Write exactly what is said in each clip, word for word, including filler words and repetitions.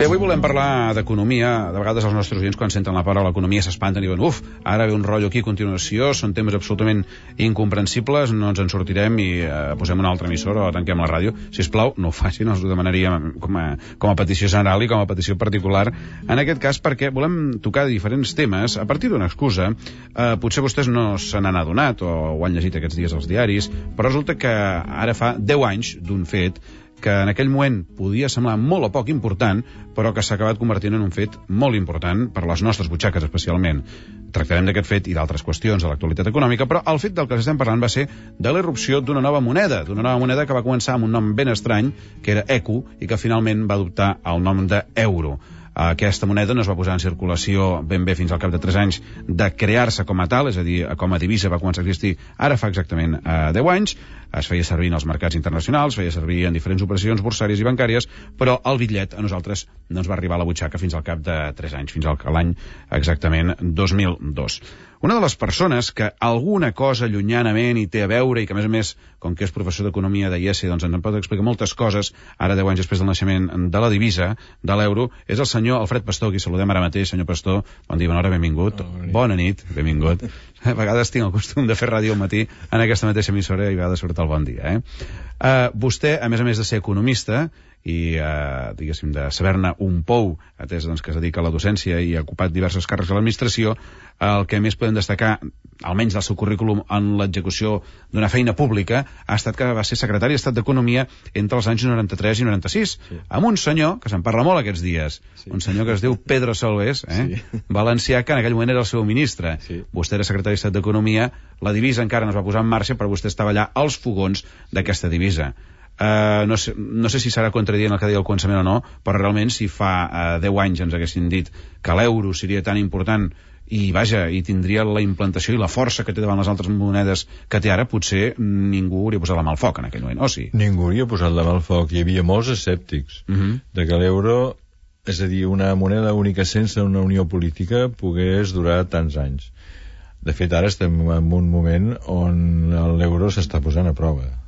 Bé, avui volem parlar d'economia. De vegades els nostres oients, quan senten la paraula economia, s'espanten i diuen, uf, ara ve un rotllo aquí a continuació, són temes absolutament incomprensibles, no ens en sortirem i eh, posem una altra emissora o tanquem la ràdio. Sisplau, no ho facin, els ho demanaríem com a, com a petició general i com a petició particular. En aquest cas, perquè volem tocar diferents temes a partir d'una excusa. Eh, potser vostès no se n'han adonat o ho han llegit aquests dies als diaris, però resulta que ara fa deu anys d'un fet que en aquell moment podia semblar molt o poc important, però que s'ha acabat convertint en un fet molt important per les nostres butxaques especialment. Tractarem d'aquest fet i d'altres qüestions de l'actualitat econòmica, però el fet del que estem parlant va ser de la irrupció d'una nova moneda, d'una nova moneda que va començar amb un nom ben estrany, que era ecu, i que finalment va adoptar el nom d'euro. Aquesta moneda no es va posar en circulació ben bé fins al cap de tres anys de crear-se com a tal, és a dir, com a divisa va començar a existir ara fa exactament eh, deu anys, es feia servir en els mercats internacionals, feia servir en diferents operacions borsàries i bancàries, però el bitllet a nosaltres no ens va arribar a la butxaca fins al cap de tres anys, fins al l'any exactament dos mil dos. Una de les persones que alguna cosa llunyanament hi té a veure i que, a més a més, com que és professor d'economia de I E S E, doncs ens en pot explicar moltes coses, ara deu anys després del naixement de la divisa, de l'euro, és el senyor Alfred Pastor, qui saludem ara mateix. Senyor Pastor, bon dia, bona hora, benvingut. Oh, bona nit, benvingut. A vegades tinc el costum de fer ràdio al matí en aquesta mateixa emissora i a vegades surt el bon dia. Eh? Uh, vostè, a més a més de ser economista, i, eh, diguéssim, de saber-ne un pou, atès doncs, que es dedica a la docència i ha ocupat diversos càrrecs a l'administració, el que més podem destacar, almenys del seu currículum en l'execució d'una feina pública, ha estat que va ser secretari d'Estat d'Economia entre els anys noranta-tres i noranta-sis, sí, amb un senyor, que se'n parla molt aquests dies, sí, un senyor que es diu Pedro Solbes, eh? Sí. Valencià, que en aquell moment era el seu ministre. Sí. Vostè era secretari d'Estat d'Economia, la divisa encara no es va posar en marxa, però vostè estava allà als fogons d'aquesta divisa. Uh, no, sé, no sé si serà contradient el que deia al començament o no, però realment si fa uh, deu anys ens haguessin dit que l'euro seria tan important i vaja, i tindria la implantació i la força que té davant les altres monedes que té ara, potser ningú hauria posat la mà al foc en aquell moment, o sí? Ningú hauria posat la mà al foc, hi havia molts escèptics uh -huh. de que l'euro, és a dir, una moneda única sense una unió política pogués durar tants anys. De fet, ara estem en un moment on l'euro s'està posant a prova.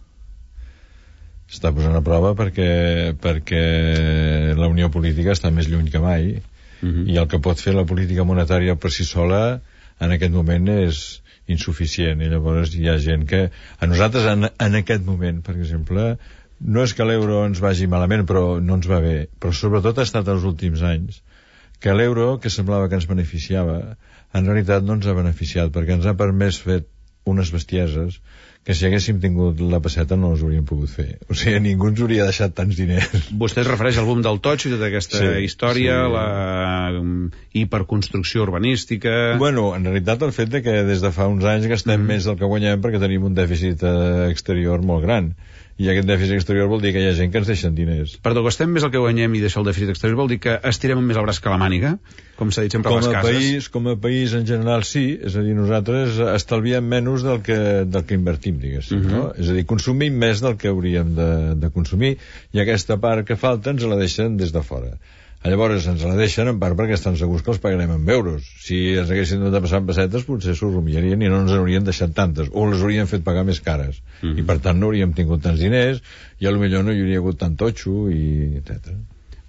Està posant a prova perquè, perquè la unió política està més lluny que mai uh-huh. i el que pot fer la política monetària per si sola en aquest moment és insuficient, i llavors hi ha gent que a nosaltres en, en aquest moment, per exemple, no és que l'euro ens vagi malament, però no ens va bé, però sobretot ha estat els últims anys que l'euro, que semblava que ens beneficiava, en realitat no ens ha beneficiat, perquè ens ha permès fer unes bestieses que si haguéssim tingut la peseta no les hauríem pogut fer. O sigui, ningú ens hauria deixat tants diners. Vostè es refereix al boom del totxo i tota aquesta sí, història, sí. la um, hiperconstrucció urbanística... Bueno, en realitat el fet de que des de fa uns anys gastem mm. més del que guanyem perquè tenim un dèficit eh, exterior molt gran. I aquest dèficit exterior vol dir que hi ha gent que ens deixen diners. Perdó, gastem més el que guanyem i deixar el dèficit exterior vol dir que estirem més el braç que la màniga? Com s'ha dit sempre a les cases? País, com a país en general sí, és a dir, nosaltres estalviem menys del que, del que invertim, diguéssim, uh-huh. no? És a dir, consumim més del que hauríem de, de consumir i aquesta part que falta ens la deixen des de fora. Llavors ens la deixen en part perquè estan segurs que els pagarem en euros. Si ens haguessin de passar en pessetes potser s'ho rumiarien i no ens haurien deixat tantes, o les haurien fet pagar més cares. Mm-hmm. I per tant no hauríem tingut tants diners i potser no hi hauria hagut tant totxo i etcètera.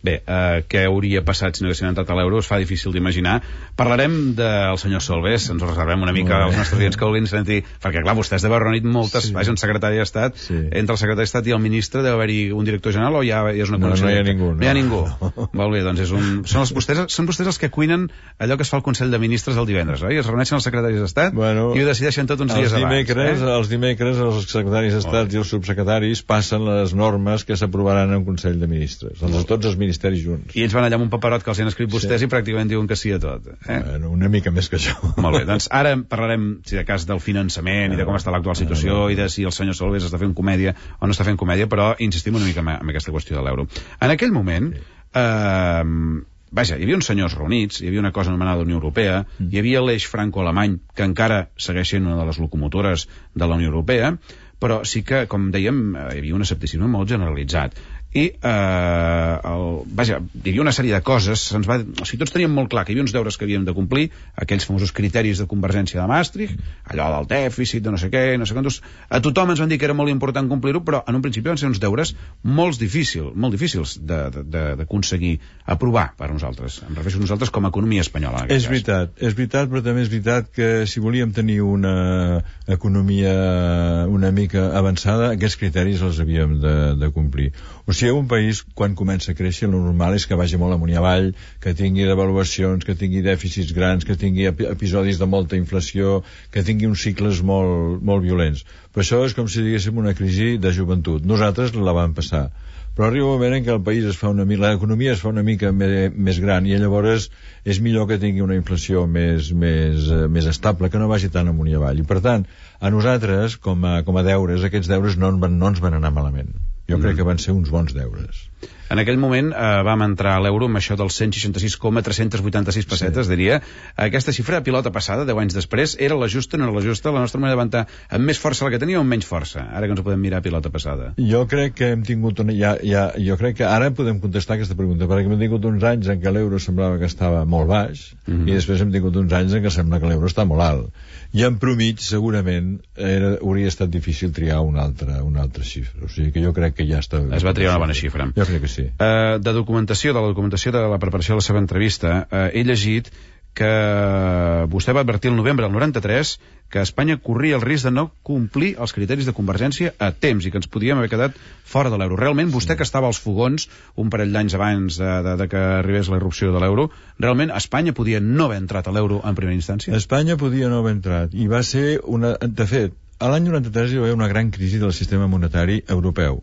Bé, eh, què hauria passat si no haguessin entrat a l'euro es fa difícil d'imaginar. Parlarem del senyor Solbes, ens ho reservem una mica als nostres clients que vulguin sentir, perquè clar, vostès deu haver reunit moltes, sí. Vaja, un secretari d'Estat, sí. Entre el secretari d'Estat i el ministre deu haver-hi un director general o ja és una no, no hi ha ningú. No, no hi ha ningú. No. Molt bé, doncs és un... són, els, vostès, són vostès els que cuinen allò que es fa al Consell de Ministres el divendres, oi? Es reuneixen els secretaris d'Estat bueno, i ho decideixen tot uns dies dimecres, abans. Eh? Els dimecres els secretaris d'Estat i els subsecretaris passen les normes que s'aprovaran en Consell de Ministres, els, tots els ministeris junts. I ells van allà amb un paperot que els han escrit vostès sí. I pràcticament diuen que sí a tot. Eh? Bueno, una mica més que això. Molt bé, doncs ara parlarem, si de cas, del finançament no, i de com està l'actual situació no, no. I de si el senyor Solbes està fent comèdia o no està fent comèdia, però insistim una mica en, en aquesta qüestió de l'euro. En aquell moment, sí. eh, vaja, hi havia uns senyors reunits, hi havia una cosa anomenada Unió Europea, mm. Hi havia l'eix franco-alemany, que encara segueix sent una de les locomotores de la Unió Europea, però sí que, com dèiem, hi havia un escepticisme molt generalitzat. I, eh, el, vaja, hi havia una sèrie de coses, se'ns va, o sigui, tots teníem molt clar que hi havia uns deures que havíem de complir, aquells famosos criteris de convergència de Maastricht, allò del dèficit, de no sé què, no sé quantos, a tothom ens van dir que era molt important complir-ho, però en un principi van ser uns deures molt difícils, molt difícils d'aconseguir aprovar per nosaltres. Em refereixo a nosaltres com a economia espanyola. És veritat, és veritat, però també és veritat que si volíem tenir una economia una mica avançada, aquests criteris els havíem de, de complir. O sigui, un país, quan comença a créixer, el normal és que vagi molt amunt i avall, que tingui devaluacions, que tingui dèficits grans, que tingui episodis de molta inflació, que tingui uns cicles molt, molt violents. Però això és com si diguéssim una crisi de joventut. Nosaltres la vam passar. Però arriba un moment en què el país es fa una mica, l'economia es fa una mica més, més gran i llavors és millor que tingui una inflació més, més, més estable, que no vagi tan amunt i avall. I per tant, a nosaltres, com a, com a deures, aquests deures no, no ens van anar malament. Jo crec que van ser uns bons deures. En aquell moment eh, vam entrar a l'euro amb això dels cent seixanta sis coma tres-cents vuitanta-sis pessetes, sí. Diria. Aquesta xifra de pilota passada, deu anys després, era la justa, no era la justa? La nostra manera de levantar amb més força la que tenia o amb menys força? Ara que ens ho podem mirar a pilota passada. Jo crec que hem tingut una... Ja, ja, jo crec que ara podem contestar aquesta pregunta, perquè hem tingut uns anys en què l'euro semblava que estava molt baix, mm-hmm. I després hem tingut uns anys en què sembla que l'euro està molt alt. I en promig, segurament, era, hauria estat difícil triar una altra, una altra xifra. O sigui que jo crec que ja està... Es va triar una bona xifra. Jo crec que sí. Uh, de documentació, de la documentació de la preparació de la seva entrevista, uh, he llegit que vostè va advertir el novembre del noranta-tres que Espanya corria el risc de no complir els criteris de convergència a temps i que ens podíem haver quedat fora de l'euro. Realment, vostè que estava als fogons un parell d'anys abans de, de, de que arribés la irrupció de l'euro, realment Espanya podia no haver entrat a l'euro en primera instància? Espanya podia no haver entrat i va ser una... De fet, a l'any noranta-tres hi va haver una gran crisi del sistema monetari europeu,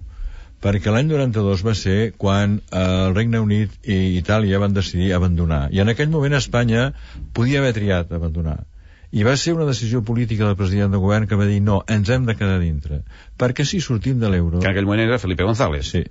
perquè l'any noranta-dos va ser quan eh, el Regne Unit i Itàlia van decidir abandonar. I en aquell moment Espanya podia haver triat abandonar. I va ser una decisió política del president del govern que va dir no, ens hem de quedar dintre. Perquè si sortim de l'euro... Que en aquell moment era Felipe González. Sí.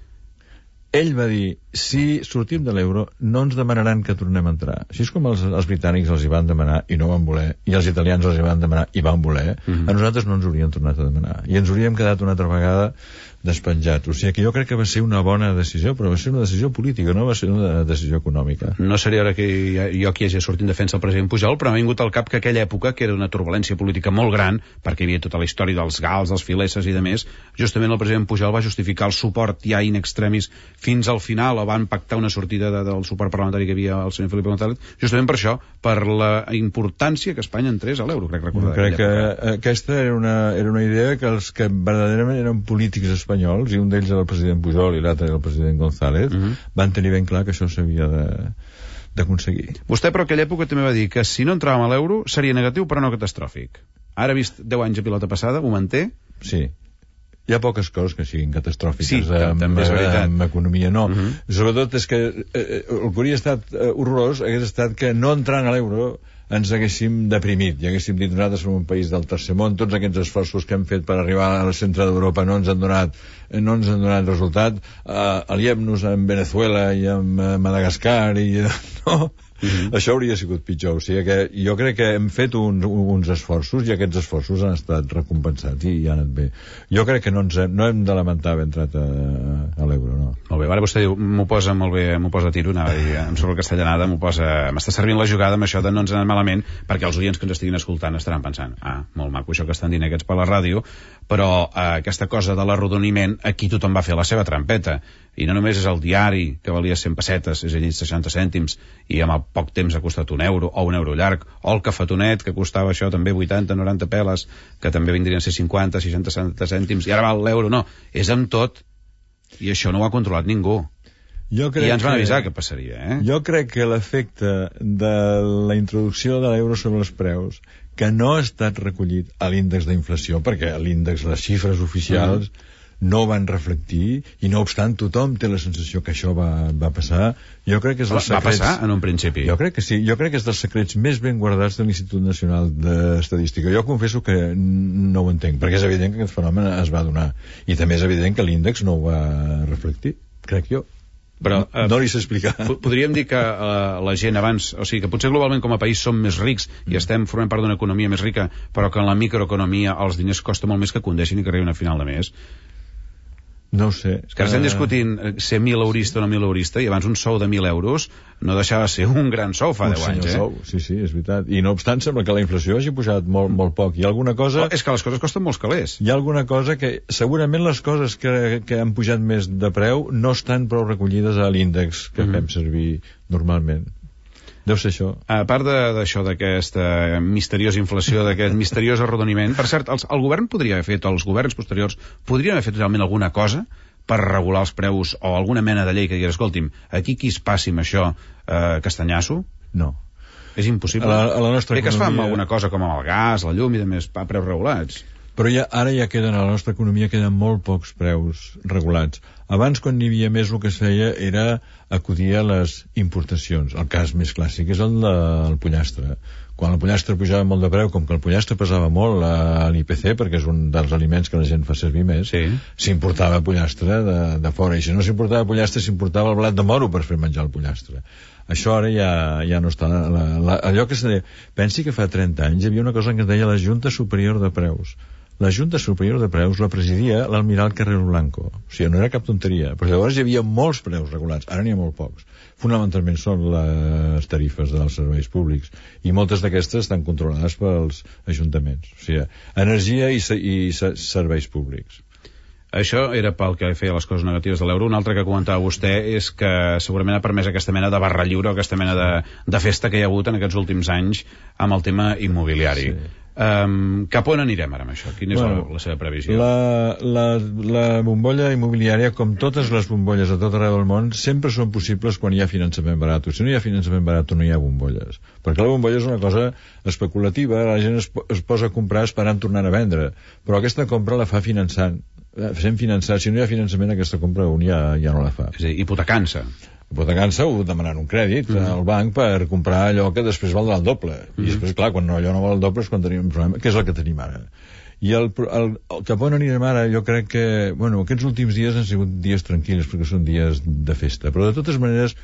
Ell va dir, si sortim de l'euro no ens demanaran que tornem a entrar. Així és com els, els britànics els hi van demanar i no van voler, i els italians els hi van demanar i van voler, mm-hmm. A nosaltres no ens haurien tornat a demanar. I ens hauríem quedat una altra vegada despenjats. O sigui que jo crec que va ser una bona decisió, però va ser una decisió política, no va ser una decisió econòmica. No seria ara que jo aquí hagi sortit en defensa del president Pujol, però m'ha vingut al cap que aquella època, que era una turbulència política molt gran, perquè hi havia tota la història dels gals, dels fileses i de més, justament el president Pujol va justificar el suport ja in extremis fins al final, o van pactar una sortida de, del suport parlamentari que hi havia al senyor Felipe González, justament per això, per la importància que Espanya entrés a l'euro, crec recordar. Jo crec que època. Aquesta era una, era una idea que els que verdaderament eren polítics espanyols, i un d'ells era el president Pujol i l'altre era el president González, uh-huh. Van tenir ben clar que això s'havia de d'aconseguir. Vostè, però, aquella època també va dir que si no entràvem a l'euro seria negatiu però no catastròfic. Ara, vist deu anys a pilota passada, ho manté? Sí. Hi ha poques coses que siguin catastròfiques. Sí, amb, també és veritat. Amb economia no. Uh-huh. Sobretot és que eh, el que hauria estat eh, horrorós hagués estat que no entrant a l'euro ens haguéssim deprimit i haguéssim dit nosaltres som un país del tercer món, tots aquests esforços que hem fet per arribar al centre d'Europa no ens han donat, no ens han donat resultat, uh, aliem-nos amb Venezuela i amb uh, Madagascar i no, mm-hmm. Això hauria sigut pitjor. O sigui que jo crec que hem fet uns, uns esforços i aquests esforços han estat recompensats i, i han anat bé. Jo crec que no, ens hem, no hem de lamentar haver entrat a, a l'euro, no. no. Molt bé, ara vostè diu, m'ho posa molt bé, m'ho posa a tiro, anava a dir, em surt la castellanada, m'ho posa, m'està servint la jugada amb això de no ens anar malament, perquè els oients que ens estiguin escoltant estaran pensant, ah, molt maco això que estan dient aquests per la ràdio, però eh, aquesta cosa de l'arrodoniment, aquí tothom va fer la seva trampeta, i no només és el diari, que valia cent pessetes, és a dir, seixanta cèntims, i amb poc temps ha costat un euro, o un euro llarg, o el cafetonet, que costava això també vuitanta, noranta peles, que també vindrien a ser cinquanta, seixanta cèntims, i ara val l'euro, no, és amb tot, i això no ho ha controlat ningú. Jo crec I ja ens van que, avisar que passaria, eh? Jo crec que l'efecte de la introducció de l'euro sobre els preus, que no ha estat recollit a l'índex d'inflació, perquè l'índex, les xifres oficials, mm. no van reflectir, i no obstant tothom té la sensació que això va, va passar. Jo crec que és dels va secrets... passar en un principi? Jo crec que sí, jo crec que és dels secrets més ben guardats de l'Institut Nacional d'Estadística. Jo confesso que no ho entenc, perquè és evident que aquest fenomen es va donar, i també és evident que l'índex no ho va reflectir, crec jo. Però eh, no li sé explicar. Podríem dir que eh, la gent abans, o sigui, que potser globalment com a país som més rics mm. i estem formant part d'una economia més rica, però que en la microeconomia els diners costa molt més que condeixin i que arribin a final de mes. No ho sé. És que ara estem discutint ser mil eurista o no mil eurista, i abans un sou de mil euros no deixava de ser un gran sou fa deu anys, eh? Sou. Sí, sí, és veritat. I no obstant, sembla que la inflació hagi pujat molt, molt poc. Hi ha alguna cosa... Oh, és que les coses costen molts calés. Hi ha alguna cosa que... Segurament les coses que, que han pujat més de preu no estan prou recollides a l'índex que mm-hmm. fem servir normalment. Deu ser això. A part d'això, d'aquesta misteriosa inflació, d'aquest misteriós arrodoniment, per cert, els, el govern podria haver fet, els governs posteriors, podrien haver fet realment alguna cosa per regular els preus o alguna mena de llei que digués, escolti'm, aquí qui es passi amb això, eh, castanyasso? No. És impossible. A la, a la nostra Bé que es fa amb alguna cosa com amb el gas, la llum i de més, a preus regulats. Però ja, ara ja queden, a la nostra economia queden molt pocs preus regulats. Abans, quan n'hi havia més, el que es feia era acudir a les importacions. El cas més clàssic és el del pollastre. Quan el pollastre pujava molt de preu, com que el pollastre pesava molt a l'I P C, perquè és un dels aliments que la gent fa servir més, sí. s'importava pollastre de, de fora. I si no s'importava pollastre, s'importava el blat de moro per fer menjar el pollastre. Això ara ja, ja no està... La, la, allò que se deia... Pensi que fa trenta anys hi havia una cosa que es deia la Junta Superior de Preus. La Junta Superior de Preus la presidia l'almirall Carrero Blanco. O sigui, no era cap tonteria. Però llavors hi havia molts preus regulats. Ara n'hi ha molt pocs. Fonamentalment són les tarifes dels serveis públics. I moltes d'aquestes estan controlades pels ajuntaments. O sigui, energia i, i serveis públics. Això era pel que feia les coses negatives de l'euro. Un altre que comentava vostè és que segurament ha permès aquesta mena de barra lliure, aquesta mena de, de festa que hi ha hagut en aquests últims anys amb el tema immobiliari. Sí. Um, cap on anirem ara amb això? Quina és bueno, la, la seva previsió? La, la, la bombolla immobiliària, com totes les bombolles a tot arreu del món, sempre són possibles quan hi ha finançament barat. Si no hi ha finançament barat, no hi ha bombolles. Perquè la bombolla és una cosa especulativa, la gent es, es posa a comprar esperant tornar a vendre, però aquesta compra la fa finançant. Fem finançar. Si no hi ha finançament, aquesta compra un ja, ja no la fa. És a dir, hipotecant-se. Hipotecant-se o demanant un crèdit mm. al banc per comprar allò que després valdrà el doble. Mm. I després, clar, quan no, allò no val el doble és quan tenim un problema, que és el que tenim ara. I el, el, el cap on anirem ara, jo crec que, bueno, aquests últims dies han sigut dies tranquils, perquè són dies de festa. Però, de totes maneres,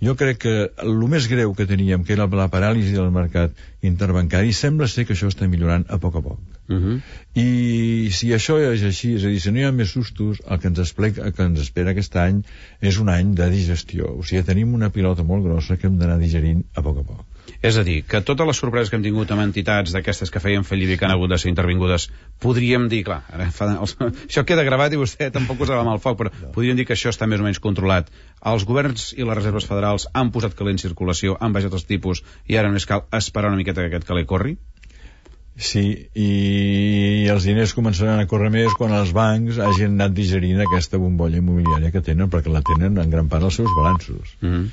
jo crec que el més greu que teníem, que era la paràlisi del mercat interbancari, sembla ser que això està millorant a poc a poc. Uh -huh. I si això és així, és a dir, si no hi ha més sustos, el que ens, explica, el que ens espera aquest any és un any de digestió. O sigui, tenim una pilota molt grossa que hem d'anar digerint a poc a poc. És a dir, que totes les sorpreses que hem tingut amb entitats d'aquestes que feien fallir i que han hagut de ser intervingudes, podríem dir, clar, ara fa, els, això queda gravat i vostè tampoc posava mal foc, però no. Podríem dir que això està més o menys controlat. Els governs i les reserves federals han posat calé en circulació, han baixat els tipus i ara només cal esperar una miqueta que aquest calé corri? Sí, i els diners començaran a córrer més quan els bancs hagin anat digerint aquesta bombolla immobiliària que tenen, perquè la tenen en gran part als seus balanços. Mhm. Mm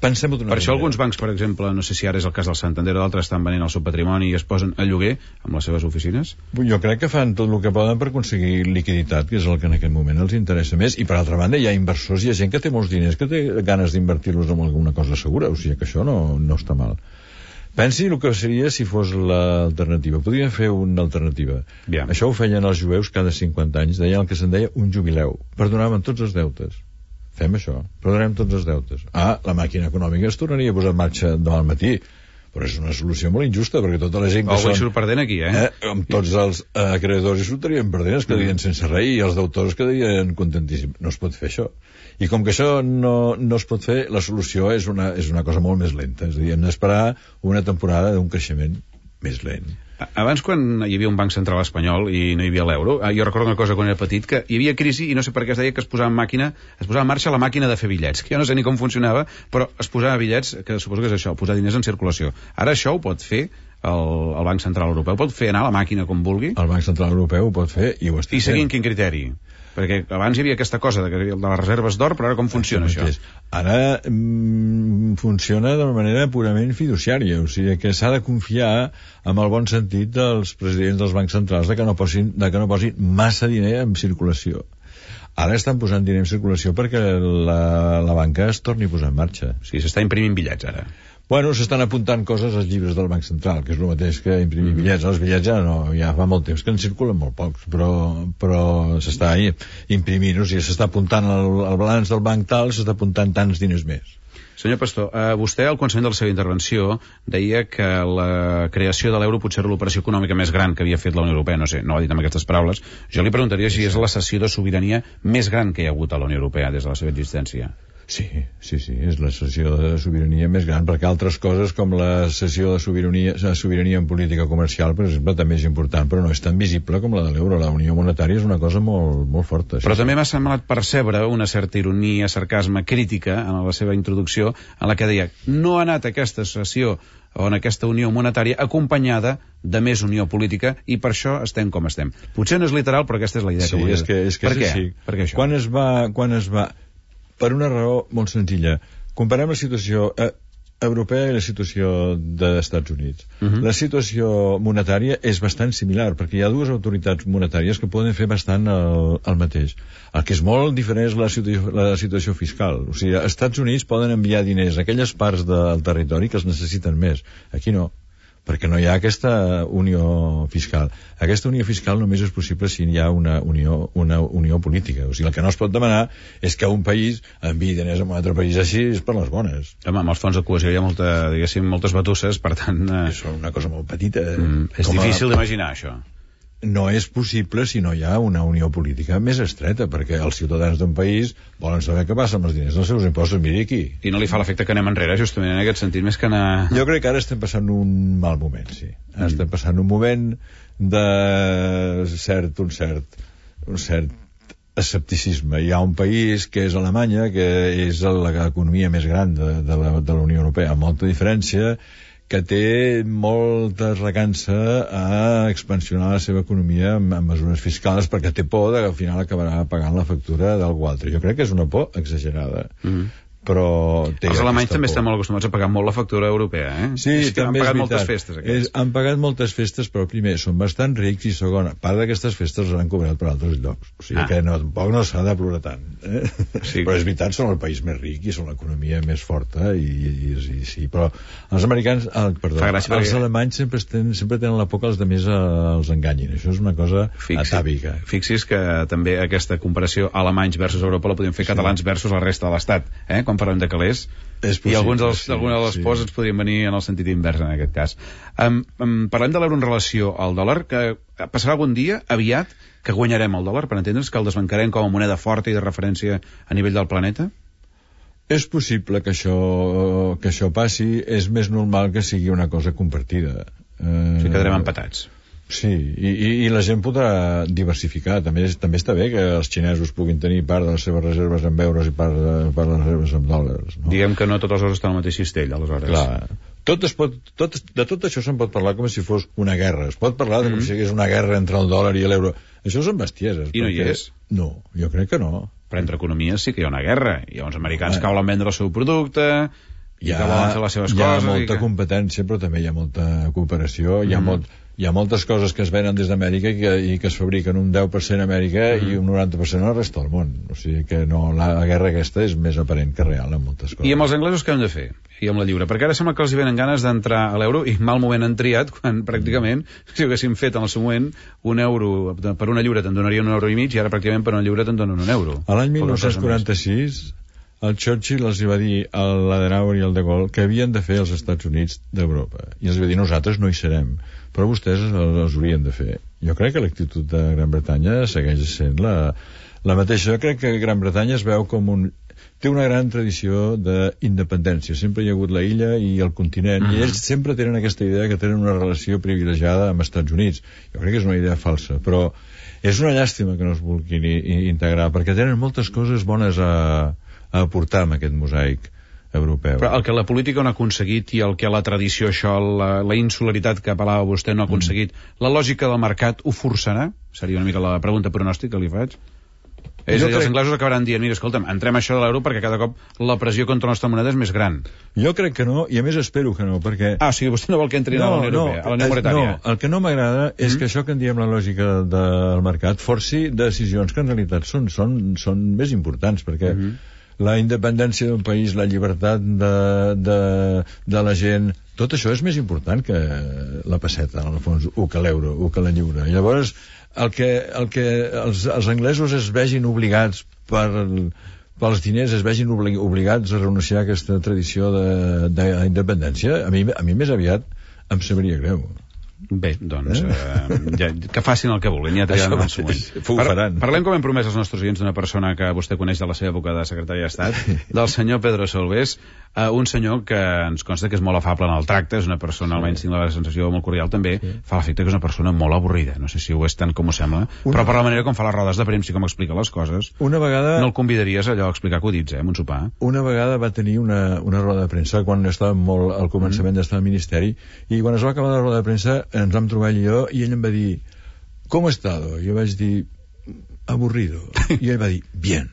Pensem-ho d'una per això manera. Alguns bancs, per exemple, no sé si ara és el cas del Santander o d'altres, estan venent el seu patrimoni i es posen a lloguer amb les seves oficines? Jo crec que fan tot el que poden per aconseguir liquiditat, que és el que en aquest moment els interessa més, i per altra banda hi ha inversors, hi ha gent que té molts diners que té ganes d'invertir-los en alguna cosa segura, o sigui que això no, no està mal. Pensi el que seria si fos l'alternativa. Podríem fer una alternativa. Bien. Això ho feien els jueus cada cinquanta anys, deien el que se'n deia un jubileu. Perdonaven tots els deutes. Fem això, perdonarem tots els deutes. Ah, la màquina econòmica es tornaria a posar en marxa demà al matí, però és una solució molt injusta, perquè tota la gent que Algú són... surt perdent aquí, eh? eh amb tots els eh, acreedors hi sortirien perdent, es quedarien mm. sense res, i els deutors quedarien contentíssims. No es pot fer això. I com que això no, no es pot fer, la solució és una, és una cosa molt més lenta. És a dir, hem d'esperar una temporada d'un creixement més lent. Abans, quan hi havia un banc central espanyol i no hi havia l'euro, jo recordo una cosa quan era petit, que hi havia crisi i no sé per què es deia que es posava en màquina, es posava en marxa la màquina de fer bitllets, que jo no sé ni com funcionava, però es posava bitllets, que suposo que és això, posar diners en circulació. Ara això ho pot fer el, el Banc Central Europeu, pot fer anar la màquina com vulgui? El Banc Central Europeu ho pot fer i ho està fent. I seguint fent. quin criteri? Perquè abans hi havia aquesta cosa de, de les reserves d'or, però ara com funciona això? Ara mm, funciona de manera purament fiduciària, o sigui que s'ha de confiar amb el bon sentit dels presidents dels bancs centrals de que no posin, de que no posin massa diner en circulació. Ara estan posant diner en circulació perquè la, la banca es torni a posar en marxa. O sigui, s'està imprimint bitllets ara. Bueno, s'estan apuntant coses als llibres del Banc Central, que és el mateix que imprimir bitllets. Els bitllets ja no, ja fa molt temps que en circulen molt pocs, però, però s'està imprimint, o sigui, s'està apuntant el, el balanç del banc tal, s'està apuntant tants diners més. Senyor Pastor, eh, vostè al començament de la seva intervenció deia que la creació de l'euro potser era l'operació econòmica més gran que havia fet la Unió Europea, no sé, no ho ha dit amb aquestes paraules. Jo li preguntaria si és la cessió de sobirania més gran que hi ha hagut a la Unió Europea des de la seva existència. Sí, sí, sí, és la cessió de sobirania més gran, perquè altres coses com la cessió de sobirania, de sobirania en política comercial, per exemple, també és important, però no és tan visible com la de l'euro. La unió monetària és una cosa molt, molt forta. Però sí, també sí. m'ha semblat percebre una certa ironia, sarcasme, crítica en la seva introducció, en la que deia no ha anat aquesta cessió o en aquesta unió monetària acompanyada de més unió política i per això estem com estem. Potser no és literal, però aquesta és la idea sí, que volia. És que, és que per és què? així. Per què això? Quan es va... Quan es va... Per una raó molt senzilla. Comparem la situació eh, europea i la situació dels Estats Units. Uh -huh. La situació monetària és bastant similar, perquè hi ha dues autoritats monetàries que poden fer bastant el, el mateix. El que és molt diferent és la situació, la situació fiscal. O sigui, als Estats Units poden enviar diners a aquelles parts del territori que els necessiten més. Aquí no, perquè no hi ha aquesta unió fiscal. Aquesta unió fiscal només és possible si hi ha una unió, una unió política. O sigui, el que no es pot demanar és que un país enviï diners a un altre país així és per les bones. Home, amb els fons de cohesió hi ha molta, diguéssim, moltes batusses, per tant... Eh... És una cosa molt petita. Mm, és difícil a... d'imaginar, això. No és possible si no hi ha una unió política més estreta, perquè els ciutadans d'un país volen saber què passa amb els diners dels seus impostos. Miri aquí. I no li fa l'efecte que anem enrere, justament en aquest sentit, més que anar... Jo crec que ara estem passant un mal moment, sí. Ara mm. estem passant un moment de cert, un cert, un cert escepticisme. Hi ha un país que és Alemanya, que és l'economia més gran de, de, la, de la Unió Europea, amb molta diferència, que té molta recança a expansionar la seva economia amb, amb mesures fiscals perquè té por de que al final acabarà pagant la factura d'algú altre. Jo crec que és una por exagerada. Mm-hmm. Però té els alemanys també estan molt acostumats a pagar molt la factura europea, eh? Sí, és també han pagat és moltes festes, és, han pagat moltes festes, però primer, són bastant rics i segon, part d'aquestes festes les han cobrat per altres llocs. O sigui ah. que no, tampoc no s'ha de plorar tant. Eh? Sí. Però és veritat, són el país més ric i són l'economia més forta i, i, i, i sí, però els americans, ah, perdó, els perquè... alemanys sempre, ten, sempre tenen la por que els altres els enganyin. Això és una cosa Fixi, atàvica. Fixi's que també aquesta comparació alemanys versus Europa la podem fer sí. catalans versus la resta de l'Estat, eh? Quan parlem de calés, possible, i alguns dels, sí, alguna de les sí. pors ens podrien venir en el sentit invers en aquest cas. Um, um, parlem de l'euro en relació al dòlar, que passarà algun dia, aviat, que guanyarem el dòlar, per entendre's, que el desbancarem com a moneda forta i de referència a nivell del planeta? És possible que això, que això passi, és més normal que sigui una cosa compartida. Uh, o sigui, quedarem empatats. Sí, i, i, i la gent podrà diversificar. També, també està bé que els xinesos puguin tenir part de les seves reserves en euros i part de, part de les reserves en dòlars. No? Diguem que no tots els euros estan al mateix cistell, aleshores. Clar. Tot es pot, tot, de tot això se'n pot parlar com si fos una guerra. Es pot parlar mm-hmm. com si hi hagués una guerra entre el dòlar i l'euro. Això són bestieses. I no hi és? No, jo crec que no. Però entre economies sí que hi ha una guerra. Hi ha uns americans ah. que volen vendre el seu producte... i ha, que volen fer les seves hi coses... Hi ha molta que... competència, però també hi ha molta cooperació. Mm. Hi ha molt, hi ha moltes coses que es venen des d'Amèrica i, que, i que es fabriquen un deu per cent a Amèrica mm. i un noranta per cent a la resta del món. O sigui que no, la, la guerra aquesta és més aparent que real en moltes coses. I amb els anglesos què hem de fer? I amb la lliure? Perquè ara sembla que els hi venen ganes d'entrar a l'euro i mal moment han triat quan pràcticament, si haguéssim fet en el seu moment un euro, per una lliure te'n donarien un euro i mig i ara pràcticament per una lliure te'n donen un euro. A l'any dinou quaranta-sis el Churchill els va dir a l'Adenauer i al de Gaulle que havien de fer els Estats Units d'Europa. I els va dir, nosaltres no hi serem, però vostès els haurien de fer. Jo crec que l'actitud de Gran Bretanya segueix sent la, la mateixa. Jo crec que Gran Bretanya es veu com un... té una gran tradició d'independència. Sempre hi ha hagut la illa i el continent, uh-huh. i ells sempre tenen aquesta idea que tenen una relació privilegiada amb els Estats Units. Jo crec que és una idea falsa, però és una llàstima que no es vulguin integrar, perquè tenen moltes coses bones a, a aportar amb aquest mosaic europeu. Però el que la política no ha aconseguit i el que la tradició, això, la, la insularitat que apel·lava vostè no ha aconseguit, mm. la lògica del mercat ho forçarà? Seria una mica la pregunta pronòstica que li faig. És a dir, crec... els anglesos acabaran dient, mira, escolta'm, entrem això de l'euro perquè cada cop la pressió contra la nostra moneda és més gran. Jo crec que no, i a més espero que no, perquè... Ah, o sigui, vostè no vol que entri no, a la Unió Europea, no, a la Unió Monetària. No, el que no m'agrada és mm-hmm. que això que en diem la lògica del mercat forci decisions que en realitat són, són, són més importants, perquè mm-hmm. la independència d'un país, la llibertat de, de, de la gent, tot això és més important que la pesseta, en el fons, o que l'euro, o que la lliure. I llavors... el que, el que els, els anglesos es vegin obligats per, pels diners, es vegin obli, obligats a renunciar a aquesta tradició d'independència, a mi, a mi més aviat em sabria greu. Bé, doncs, eh? Eh, ja, que facin el que vulguin, ja triaran en el següent. Par Parlem, com hem promès als nostres oients, d'una persona que vostè coneix de la seva època de secretari d'Estat, del senyor Pedro Solbes, eh, un senyor que ens consta que és molt afable en el tracte, és una persona, sí. almenys tinc la sensació molt cordial, també sí. fa l'efecte que és una persona molt avorrida, no sé si ho és tant com ho sembla, una... però per la manera com fa les rodes de premsa i com explica les coses, una vegada... no el convidaries allò a explicar acudits, eh, en un sopar. Una vegada va tenir una, una roda de premsa quan estava molt al començament mm. d'estar al Ministeri, i quan es va acabar la roda de premsa ens vam trobar ell i jo, i ell em va dir, ¿cómo he estado? Jo vaig dir, aburrido. I ell va dir, bien.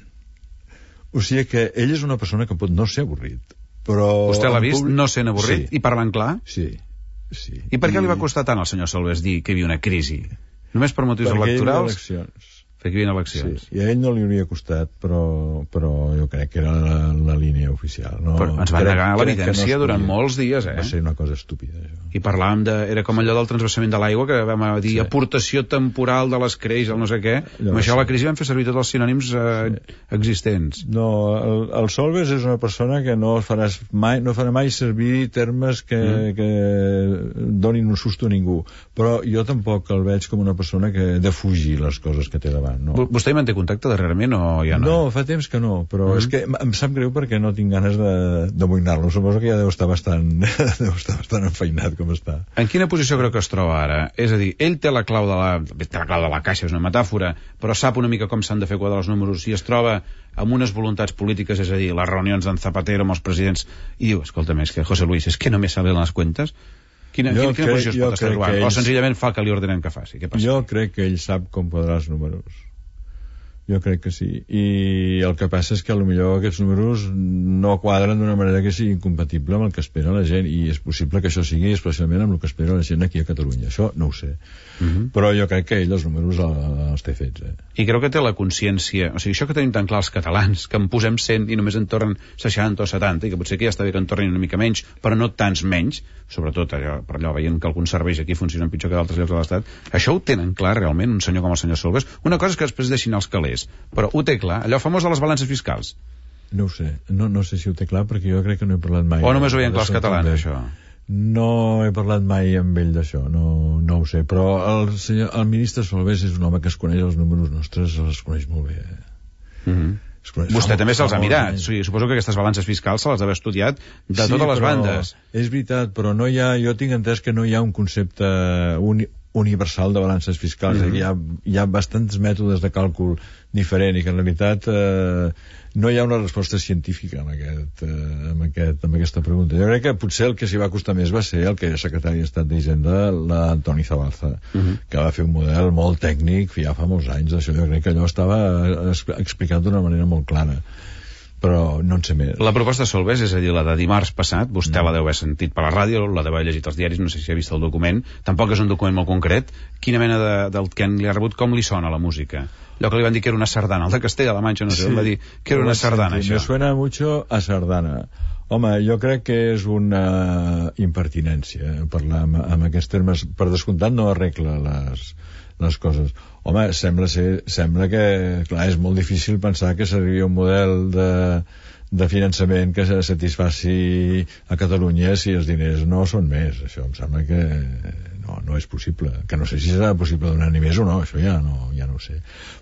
O sigui que ell és una persona que pot no ser avorrit, però... Vostè l'ha vist públic... no sent avorrit sí. i parlant clar? Sí, sí. I per què I... li va costar tant al senyor Solbes dir que hi havia una crisi? Només per motius perquè electorals? Perquè hi havia eleccions. Perquè hi havia eleccions. Sí. I a ell no li hauria costat, però, però jo crec que era la, la línia oficial. No, però ens van negar l'evidència no durant molts dies, eh? Va ser una cosa estúpida, això. I parlàvem de... Era com allò del transvasament de l'aigua, que vam dir sí. aportació temporal de les creix, el no sé què. Amb això la crisi vam fer servir tots els sinònims eh, sí. existents. No, el, el Solbes és una persona que no faràs mai, no farà mai servir termes que, mm. que donin un susto a ningú. Però jo tampoc el veig com una persona que defugir les coses que té davant. No. Vostè hi manté contacte darrerament o ja no? No, fa temps que no, però mm. és que em sap greu perquè no tinc ganes d'amoïnar-lo. Suposo que ja deu estar bastant, deu estar bastant enfeinat com està. En quina posició creu que es troba ara? És a dir, ell té la clau de la, té la clau de la caixa, és una metàfora, però sap una mica com s'han de fer quadrar els números i es troba amb unes voluntats polítiques, és a dir, les reunions d'en Zapatero amb els presidents, i diu, escolta'm, és que José Luis, és que no me salen les cuentas. Quina, quina, quina posició es pot estar trobant? Ell... O senzillament fa el que li ordenen que faci? Què passa? Jo crec que ell sap com quadrar els números. Jo crec que sí. I el que passa és que potser aquests números no quadren d'una manera que sigui incompatible amb el que espera la gent, i és possible que això sigui especialment amb el que espera la gent aquí a Catalunya. Això no ho sé. Uh-huh. Però jo crec que ell els números els té fets. Eh? I creu que té la consciència... O sigui, això que tenim tan clar els catalans, que en posem cent i només en tornen seixanta o setanta, i que potser que ja està bé que en tornin una mica menys, però no tants menys, sobretot allò, per allò veient que alguns serveis aquí funcionen pitjor que d'altres llocs de l'Estat, això ho tenen clar realment un senyor com el senyor Solbes? Una cosa és que després deixin els calés, però ho té clar, allò famós de les balances fiscals. No ho sé, no, no sé si ho té clar, perquè jo crec que no he parlat mai. O només ho veien clar els catalans, això? No he parlat mai amb ell d'això, no, no ho sé, però el, senyor, el ministre Solbes és un home que es coneix els números nostres, els coneix molt bé. Mhm. Coneix, Vostè també se'ls ha mirat. Sí, suposo que aquestes balances fiscals se les ha estudiat de sí, totes les bandes. És veritat, però no hi ha, jo tinc entès que no hi ha un concepte uni, universal de balances fiscals. Mm-hmm. hi, ha, hi ha bastants mètodes de càlcul diferent i que en realitat eh, no hi ha una resposta científica amb, aquest, eh, amb, aquest, amb aquesta pregunta. Jo crec que potser el que s'hi va costar més va ser el que era secretari d'Estat d'Hisenda, l'Antoni Zabalza, mm-hmm. que va fer un model molt tècnic ja fa molts anys d'això. Jo crec que allò estava explicat d'una manera molt clara, però no en sé més. La proposta de Solbes, és a dir, la de dimarts passat, vostè mm. la deu haver sentit per la ràdio, la deu haver llegit als diaris, no sé si ha vist el document, tampoc és un document molt concret. Quina mena de, del que li ha rebut, com li sona la música? Allò que li van dir que era una sardana, el de Castella-La Manxa, no sé, sí. va dir que era una sardana, sí, això. Me suena mucho a sardana. Home, jo crec que és una impertinència parlar amb, amb aquests termes. Per descomptat no arregla les, les coses. Home, sembla ser, sembla que, clar, és molt difícil pensar que seria un model de, de finançament que satisfaci a Catalunya si els diners no són més. Això em sembla que no, no és possible. Que no sé si serà possible donar ni més o no, això ja no, ja no ho sé.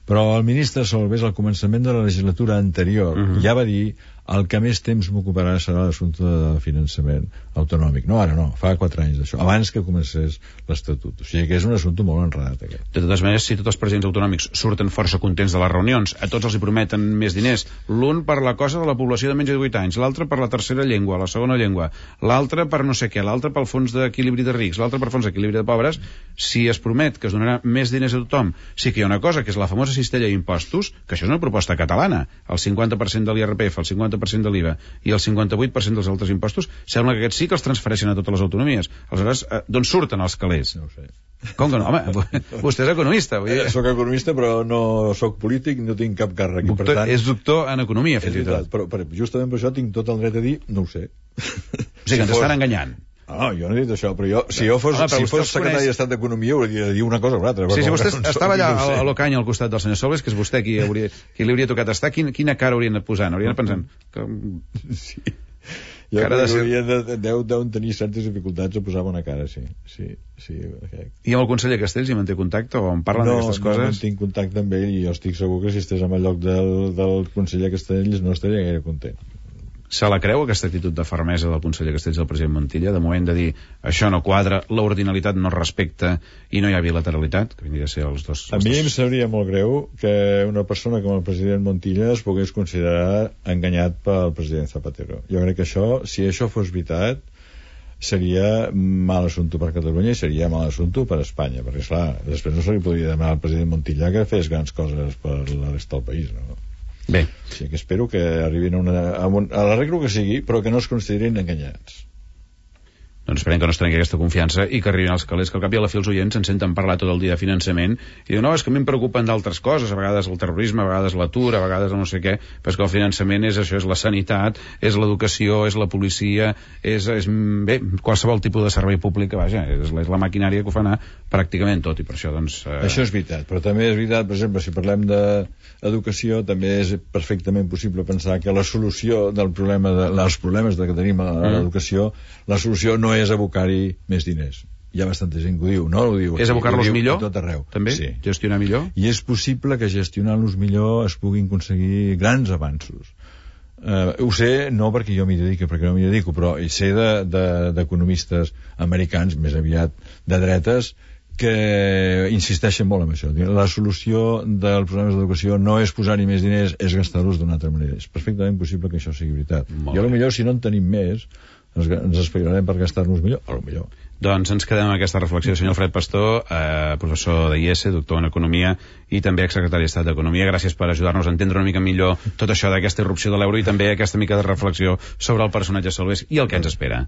Però el ministre Solbes, al començament de la legislatura anterior, uh-huh. ja va dir el que més temps m'ocuparà serà l'assumpte de finançament autonòmic. No, ara no, fa quatre anys d'això, abans que comencés l'Estatut. O sigui que és un assumpte molt enredat, aquest. De totes maneres, si tots els presidents autonòmics surten força contents de les reunions, a tots els hi prometen més diners, l'un per la cosa de la població de menys de divuit anys, l'altre per la tercera llengua, la segona llengua, l'altre per no sé què, l'altre pel fons d'equilibri de rics, l'altre per fons d'equilibri de pobres, si es promet que es donarà més diners a tothom, sí que hi ha una cosa, que és la famosa cistella d'impostos, que això és una proposta catalana, el cinquanta per cent de l'I R P F, el cinquanta per cent de l'I V A i el cinquanta-vuit per cent dels altres impostos, sembla que aquests sí que els transfereixen a totes les autonomies. Aleshores, eh, d'on surten els calés? No ho sé. Com que no? Home, vostè és economista. Vull dir... Soc economista, però no soc polític, no tinc cap càrrec. Doctor, per tant, és doctor en economia, fins i tot. Però, però justament per això tinc tot el dret a dir, no ho sé. O sigui, que ens estan enganyant. No, jo no he dit això, però jo, si jo fos, home, si fos secretari coneix... d'Estat d'Economia hauria de dir una cosa o una altra. Sí, si vostè no estava allà no a l'Ocany al costat del senyor Solbes, que és vostè qui, hauria, qui li hauria tocat estar, quin, quina cara haurien anat posant? Haurien anat pensant... Que... Sí. Jo crec que ser... haurien de, deu, deuen tenir certes dificultats a posar bona cara, sí. sí, sí okay. I amb el conseller Castells hi manté contacte o en parlen no, d'aquestes coses? No, no tinc contacte amb ell i jo estic segur que si estés en el lloc del, del conseller Castells no estaria gaire content. Se la creu, aquesta actitud de fermesa del conseller Castells i del president Montilla, de moment de dir això no quadra, l'ordinalitat no respecta i no hi ha bilateralitat, que vindria a ser els dos... A mi em sabria molt greu que una persona com el president Montilla es pogués considerar enganyat pel president Zapatero. Jo crec que això, si això fos veritat, seria mal assumpte per Catalunya i seria mal assumpte per Espanya, perquè, esclar, després no se li podria demanar al president Montilla que fes grans coses per la resta del país, no? Bé. Sí, que espero que arribin a, una, a, un, a l'arreglo que sigui, però que no es considerin enganyats. Doncs esperem que no es trenqui aquesta confiança i que arribin als calés, que al cap i a la fi els oients ens senten parlar tot el dia de finançament i diuen, no, és que a mi em preocupen d'altres coses, a vegades el terrorisme, a vegades l'atur, a vegades el no sé què, però és que el finançament és això, és la sanitat, és l'educació, és la policia, és, és bé, qualsevol tipus de servei públic, vaja, és la, és la maquinària que ho fa anar pràcticament tot, i per això, doncs... Eh... Això és veritat, però també és veritat, per exemple, si parlem d'educació, també és perfectament possible pensar que la solució del problema de, dels problemes que tenim a l'educació, la solució no és abocar-hi més diners. Hi ha bastanta gent que ho diu, no ho diu. És abocar-los millor? Tot arreu. També? Sí. Gestionar millor? I és possible que gestionant-los millor es puguin aconseguir grans avanços. Uh, ho sé, no perquè jo m'hi dedico, perquè no m'hi dedico, però hi sé d'economistes de, de americans, més aviat de dretes, que insisteixen molt en això. La solució dels problemes d'educació no és posar-hi més diners, és gastar-los d'una altra manera. És perfectament possible que això sigui veritat. Molt I a lo millor, si no en tenim més, ens, ens esperarem per gastar-nos millor, a lo millor. Doncs ens quedem amb aquesta reflexió del senyor Alfred Pastor, eh, professor d'I E S, doctor en Economia i també exsecretari d'Estat d'Economia. Gràcies per ajudar-nos a entendre una mica millor tot això d'aquesta irrupció de l'euro i també aquesta mica de reflexió sobre el personatge Solbes i el que ens espera.